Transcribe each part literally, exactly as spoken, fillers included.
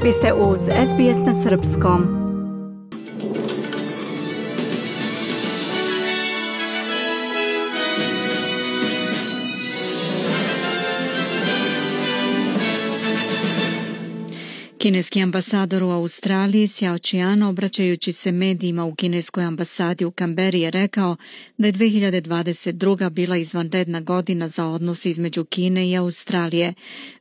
Vi ste uz S B S na srpskom. Kineski ambasador u Australiji Xiao Qian, obraćajući se medijima u kineskoj ambasadi u Kamberi, je rekao da je dve hiljade dvadeset druga bila izvanredna godina za odnos između Kine i Australije.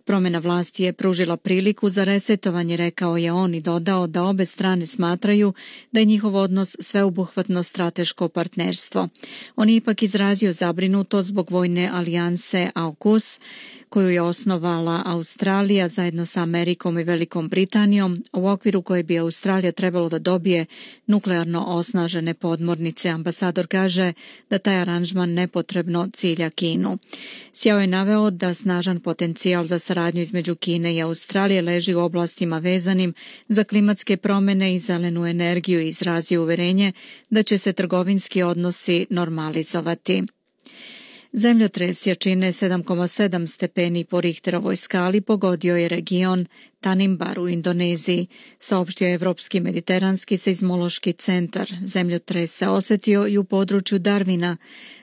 Promjena vlasti je pružila priliku za resetovanje, rekao je on, i dodao da obe strane smatraju da je njihov odnos sveobuhvatno strateško partnerstvo. On je ipak izrazio zabrinutost zbog vojne alijanse AUKUS, koju je osnovala Australija zajedno sa Amerikom i Velikom Britanijom, u okviru koje bi Australija trebalo da dobije nuklearno osnažene podmornice. Ambasador kaže da taj aranžman nepotrebno cilja Kinu. Xiao je naveo da snažan potencijal za saradnju između Kine i Australije leži u oblastima vezanim za klimatske promjene i zelenu energiju i izrazio uverenje da će se trgovinski odnosi normalizovati. Zemljotres jačine sedam zarez sedam stepeni po Richterovoj skali pogodio je region Tanimbar u Indoneziji, saopštio je Evropski mediteranski seizmološki centar. Zemljotres se osjetio i u području Darwina.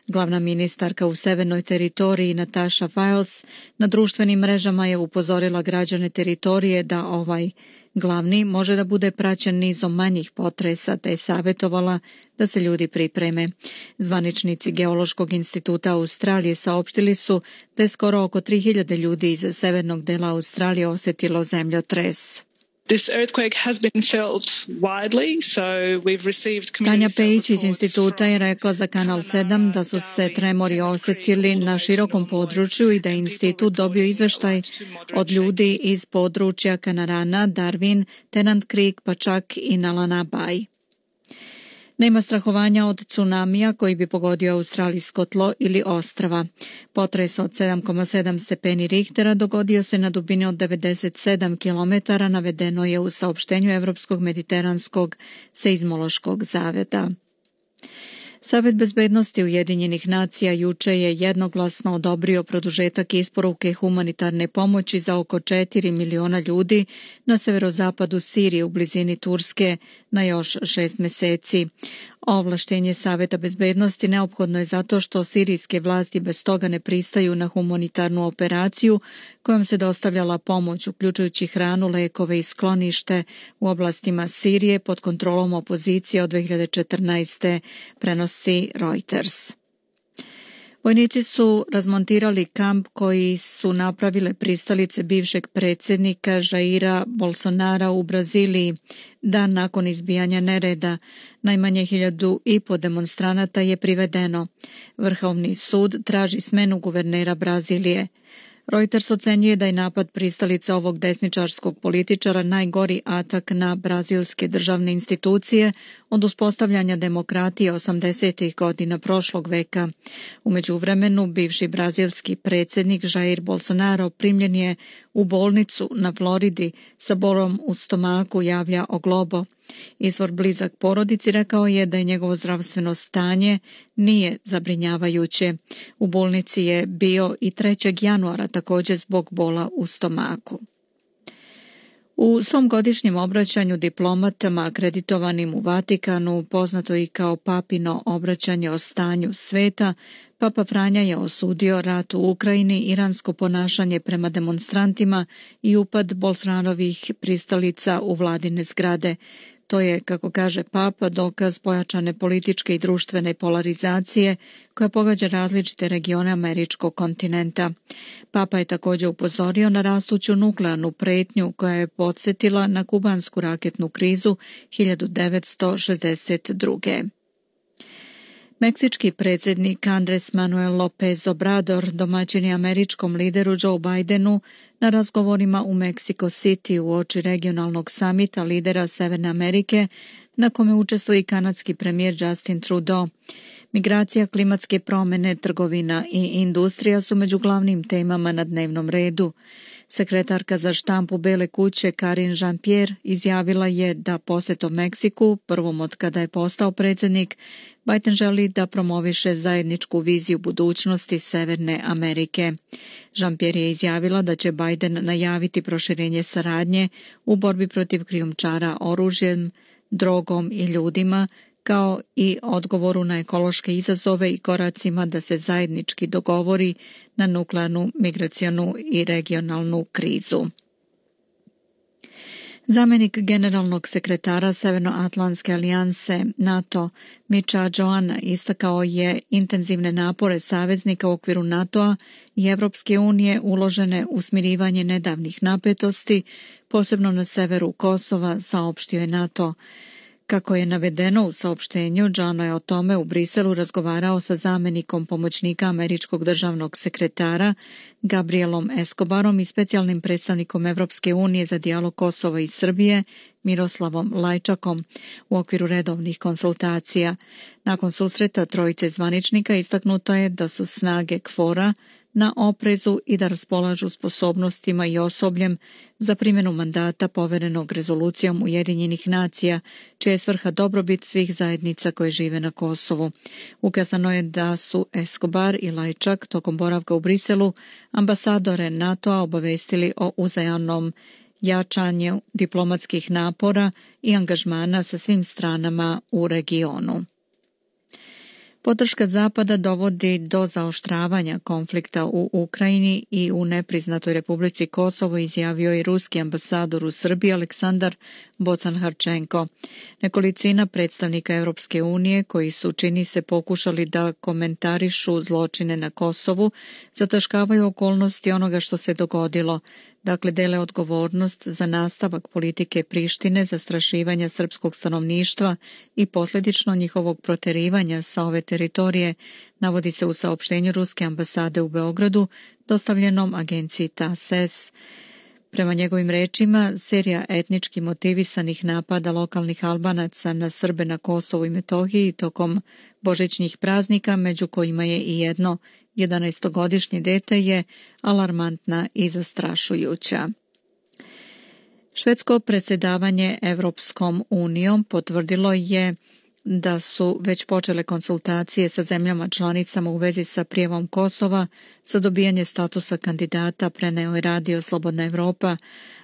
Glavna ministarka u severnoj teritoriji Natasha Wiles na društvenim mrežama je upozorila građane teritorije da ovaj glavni može da bude praćen nizom manjih potresa, te je savjetovala da se ljudi pripreme. Zvaničnici Geološkog instituta Australije saopštili su da je skoro oko tri hiljade ljudi iz severnog dela Australije osjetilo zemljotres. This earthquake has been felt widely, so we've received Tanja Pejić iz instituta je rekla za Kanal sedam da su se tremori osjetili na širokom području i da je institut dobio izveštaj od ljudi iz područja Kanarana, Darwin, Tennant Creek, pa čak i Nalana Bay. Nema strahovanja od tsunamija koji bi pogodio australijsko tlo ili ostrva. Potres od sedam zarez sedam stepeni Richtera dogodio se na dubini od devedeset sedam kilometara, navedeno je u saopštenju Evropskog mediteranskog seizmološkog zaveda. Savet bezbednosti Ujedinjenih nacija juče je jednoglasno odobrio produžetak isporuke humanitarne pomoći za oko četiri miliona ljudi na severozapadu Sirije u blizini Turske na još šest mjeseci. Ovlaštenje Saveta bezbednosti neophodno je zato što sirijske vlasti bez toga ne pristaju na humanitarnu operaciju kojom se dostavljala pomoć, uključujući hranu, lekove i sklonište u oblastima Sirije pod kontrolom opozicije od dve hiljade četrnaeste, prenosi Reuters. Vojnici su razmontirali kamp koji su napravile pristalice bivšeg predsjednika Jaira Bolsonara u Braziliji. Dan nakon izbijanja nereda, najmanje hiljadu i po demonstranata je privedeno. Vrhovni sud traži smenu guvernera Brazilije. Reuters ocenjuje da je napad pristalica ovog desničarskog političara najgori atak na brazilske državne institucije od uspostavljanja demokratije osamdesetih godina prošlog veka. U međuvremenu, bivši brazilski predsjednik Jair Bolsonaro primljen je u bolnicu na Floridi sa bolom u stomaku, javlja O Globo. Izvor blizak porodici rekao je da je njegovo zdravstveno stanje nije zabrinjavajuće. U bolnici je bio i trećeg januara također zbog bola u stomaku. U svom godišnjem obraćanju diplomatama akreditovanim u Vatikanu, poznato i kao papino obraćanje o stanju sveta, Papa Franja je osudio rat u Ukrajini, iransko ponašanje prema demonstrantima i upad Bolsonarovih pristalica u vladine zgrade. To je, kako kaže Papa, dokaz pojačane političke i društvene polarizacije koja pogađa različite regione američkog kontinenta. Papa je također upozorio na rastuću nuklearnu pretnju koja je podsjetila na kubansku raketnu krizu hiljadu devetsto šezdeset druge. Meksički predsjednik Andrés Manuel López Obrador domaćin je američkom lideru Joe Bidenu na razgovorima u Mexico City uoči regionalnog samita lidera Severne Amerike na kome učestvuje i kanadski premijer Justin Trudeau. Migracija, klimatske promjene, trgovina i industrija su među glavnim temama na dnevnom redu. Sekretarka za štampu Bele kuće Karine Jean-Pierre izjavila je da posjetom Meksiku, prvom od kada je postao predsjednik, Biden želi da promoviše zajedničku viziju budućnosti Severne Amerike. Jean-Pierre je izjavila da će Biden najaviti proširenje saradnje u borbi protiv krijumčara oružjem, drogom i ljudima, kao i odgovoru na ekološke izazove i koracima da se zajednički dogovori na nuklearnu, migracionu i regionalnu krizu. Zamjenik generalnog sekretara Severnoatlantske alijanse NATO Micha Johanna istakao je intenzivne napore saveznika u okviru NATO-a i Evropske unije uložene u smirivanje nedavnih napetosti, posebno na severu Kosova, saopštio je NATO. Kako je navedeno u saopštenju, Johanna je o tome u Briselu razgovarao sa zamjenikom pomoćnika američkog državnog sekretara Gabrielom Escobarom i specijalnim predstavnikom Evropske unije za dijalog Kosova i Srbije Miroslavom Lajčakom u okviru redovnih konsultacija. Nakon susreta trojice zvaničnika istaknuto je da su snage KFOR-a na oprezu i da raspolažu sposobnostima i osobljem za primjenu mandata poverenog rezolucijom Ujedinjenih nacija, čija je svrha dobrobit svih zajednica koje žive na Kosovu. Ukazano je da su Escobar i Lajčak tokom boravka u Briselu ambasadore NATO-a obavestili o uzajamnom jačanju diplomatskih napora i angažmana sa svim stranama u regionu. Podrška Zapada dovodi do zaoštravanja konflikta u Ukrajini i u nepriznatoj Republici Kosovo, izjavio je ruski ambasador u Srbiji Aleksandar Bocan-Harčenko. Nekolicina predstavnika Europske unije koji su, čini se, pokušali da komentarišu zločine na Kosovu, zataškavaju okolnosti onoga što se dogodilo. Dakle, dele odgovornost za nastavak politike Prištine, zastrašivanja srpskog stanovništva i posljedično njihovog proterivanja sa ove teritorije, navodi se u saopštenju ruske ambasade u Beogradu, dostavljenom agenciji T A S E S. Prema njegovim rečima, serija etnički motivisanih napada lokalnih Albanaca na Srbe na Kosovu i Metohiji tokom božićnih praznika, među kojima je i jedno jedanaestogodišnje dete, je alarmantna i zastrašujuća. Švedsko predsjedavanje Evropskom unijom potvrdilo je da su već počele konsultacije sa zemljama članicama u vezi sa prijavom Kosova za dobijanje statusa kandidata, preneo je radio Slobodna Evropa.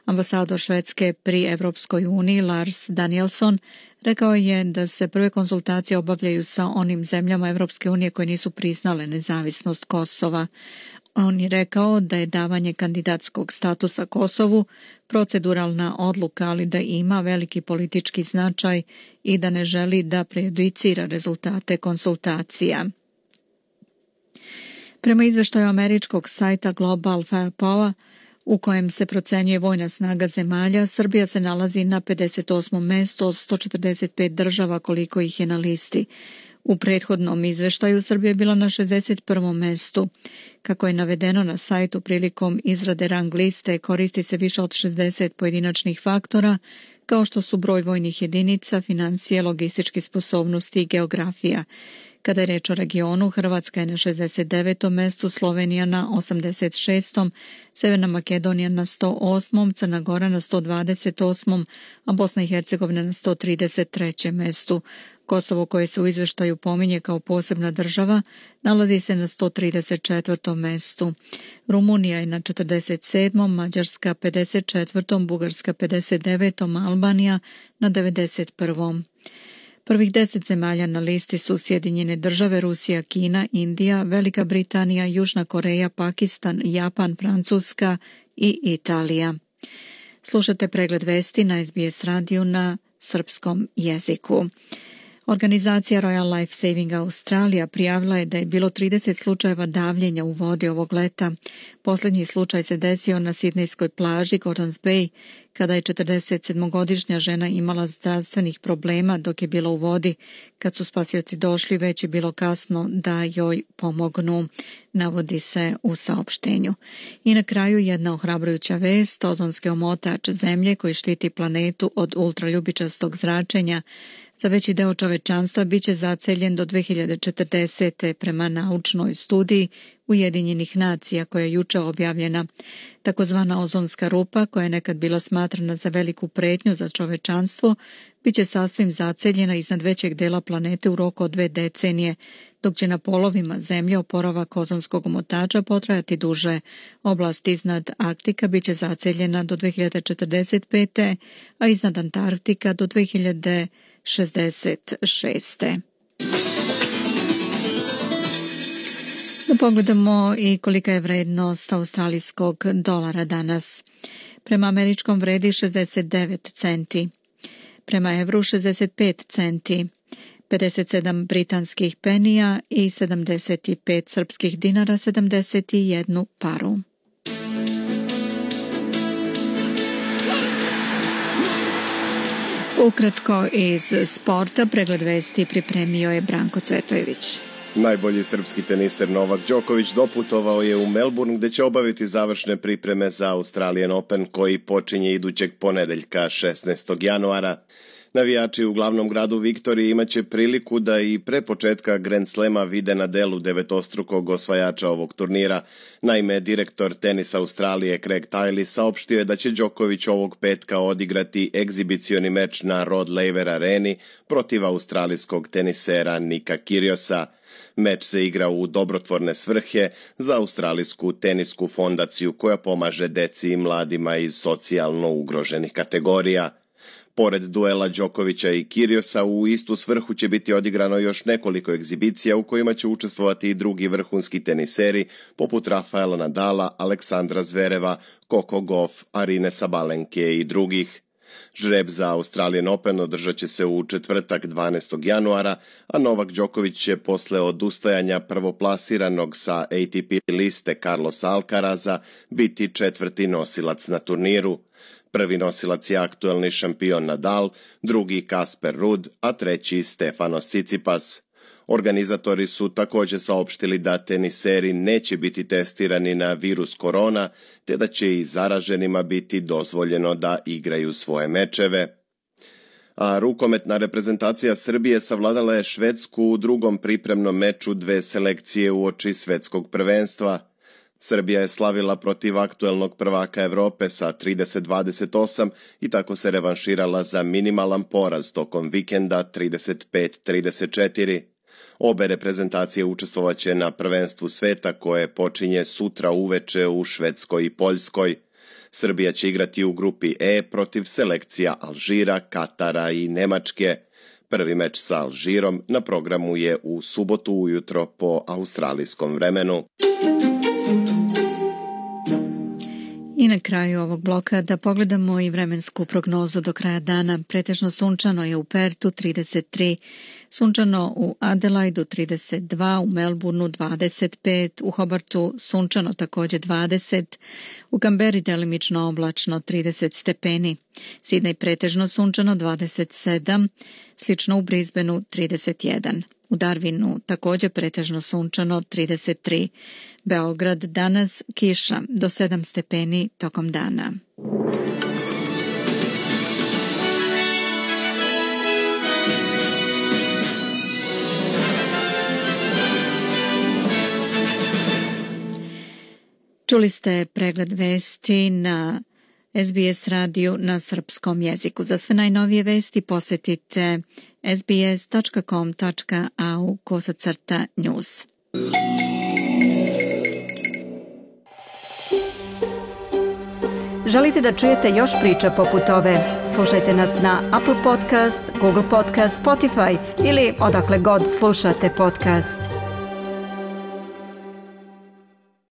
Ambasador Švedske pri Evropskoj uniji Lars Danielsson rekao je da se prve konsultacije obavljaju sa onim zemljama Evropske unije koje nisu priznale nezavisnost Kosova. On je rekao da je davanje kandidatskog statusa Kosovu proceduralna odluka, ali da ima veliki politički značaj i da ne želi da prejudicira rezultate konsultacija. Prema izveštaju američkog sajta Global Firepower, u kojem se procenjuje vojna snaga zemalja, Srbija se nalazi na pedeset osmom mestu od sto četrdeset pet država koliko ih je na listi. U prethodnom izveštaju Srbija je bila na šezdeset prvom mestu. Kako je navedeno na sajtu, prilikom izrade rang liste koristi se više od šezdeset pojedinačnih faktora, kao što su broj vojnih jedinica, financije, logističke sposobnosti i geografija. Kada je reč o regionu, Hrvatska je na šezdeset devetom mestu, Slovenija na osamdeset šestom, Severna Makedonija na sto osmom, Crna Gora na sto dvadeset osmom, a Bosna i Hercegovina na sto trideset trećem mestu. Kosovo, koje se u izveštaju pominje kao posebna država, nalazi se na sto trideset četvrtom mestu. Rumunija je na četrdeset sedmom, Mađarska pedeset četvrtom, Bugarska pedeset devetom, Albanija na devedeset prvom. Prvih deset zemalja na listi su Sjedinjene države, Rusija, Kina, Indija, Velika Britanija, Južna Koreja, Pakistan, Japan, Francuska i Italija. Slušate pregled vesti na S B S radiju na srpskom jeziku. Organizacija Royal Life Saving Australia prijavila je da je bilo trideset slučajeva davljenja u vodi ovog leta. Posljednji slučaj se desio na sidnejskoj plaži Gordons Bay, kada je četrdesetsedmogodišnja žena imala zdravstvenih problema dok je bila u vodi. Kad su spasioci došli, već je bilo kasno da joj pomognu, navodi se u saopštenju. I na kraju jedna ohrabrujuća vest, ozonski omotač zemlje koji štiti planetu od ultraljubičastog zračenja za veći deo čovečanstva bit će zaceljen do dve hiljade četrdesete prema naučnoj studiji Ujedinjenih nacija koja je juče objavljena. Takozvana ozonska rupa, koja je nekad bila smatrana za veliku pretnju za čovečanstvo, bit će sasvim zaceljena iznad većeg dela planete u roku od dve decenije, dok će na polovima Zemlje oporavak ozonskog omotača potrajati duže. Oblast iznad Arktika bit će zaceljena do dve hiljade četrdeset pete. a iznad Antarktika do dve hiljade šezdeset šeste. Da pogledamo i kolika je vrednost australijskog dolara danas. Prema američkom vredi šezdeset devet centi, prema evru šezdeset pet centi, pedeset sedam britanskih penija i sedamdeset pet srpskih dinara, sedamdeset jednu paru. Ukratko iz sporta, pregled vesti pripremio je Branko Cvetojević. Najbolji srpski teniser Novak Đoković doputovao je u Melbourne gde će obaviti završne pripreme za Australian Open koji počinje idućeg ponedeljka šesnaestog januara. Navijači u glavnom gradu Viktoriji imaće priliku da i pre početka Grand Slema vide na delu devetostrukog osvajača ovog turnira. Naime, direktor tenisa Australije Craig Tiley saopštio je da će Đoković ovog petka odigrati egzibicioni meč na Rod Laver areni protiv australijskog tenisera Nika Kyrgiosa. Meč se igra u dobrotvorne svrhe za australijsku tenisku fondaciju koja pomaže deci i mladima iz socijalno ugroženih kategorija. Pored duela Đokovića i Kyrgiosa, u istu svrhu će biti odigrano još nekoliko egzibicija u kojima će učestvovati i drugi vrhunski teniseri poput Rafaela Nadala, Aleksandra Zvereva, Coco Gauff, Arine Sabalenke i drugih. Žreb za Australian Open održat će se u četvrtak dvanaestog januara, a Novak Đoković će posle odustajanja prvoplasiranog sa A T P liste Carlosa Alcaraza biti četvrti nosilac na turniru. Prvi nosilac je aktuelni šampion Nadal, drugi Kasper Ruud, a treći Stefanos Tsitsipas. Organizatori su također saopštili da teniseri neće biti testirani na virus korona, te da će i zaraženima biti dozvoljeno da igraju svoje mečeve. A rukometna reprezentacija Srbije savladala je Švedsku u drugom pripremnom meču dve selekcije uoči svetskog prvenstva. Srbija je slavila protiv aktuelnog prvaka Evrope sa trideset dvadeset osam i tako se revanširala za minimalan poraz tokom vikenda trideset pet trideset četiri. Obe reprezentacije učestvovaće na prvenstvu sveta koje počinje sutra uveče u Švedskoj i Poljskoj. Srbija će igrati u grupi E protiv selekcija Alžira, Katara i Nemačke. Prvi meč sa Alžirom na programu je u subotu ujutro po australijskom vremenu. I na kraju ovog bloka da pogledamo i vremensku prognozu do kraja dana. Pretežno sunčano je u Pertu trideset tri, sunčano u Adelaidu trideset dva, u Melbourneu dvadeset pet, u Hobartu sunčano također dvadeset, u Kamberi delimično oblačno trideset stepeni, Sidney pretežno sunčano dvadeset sedam, slično u Brisbaneu trideset jedan. U Darwinu također pretežno sunčano trideset tri. Beograd danas kiša do sedam stepeni tokom dana. Čuli ste pregled vesti na S B S radiju na srpskom jeziku. Za sve najnovije vesti posjetite sbs tačka com tačka a u kosacrta news. Želite da čujete još priča poput ove? Slušajte nas na Apple Podcast, Google Podcast, Spotify ili odakle god slušate podcast.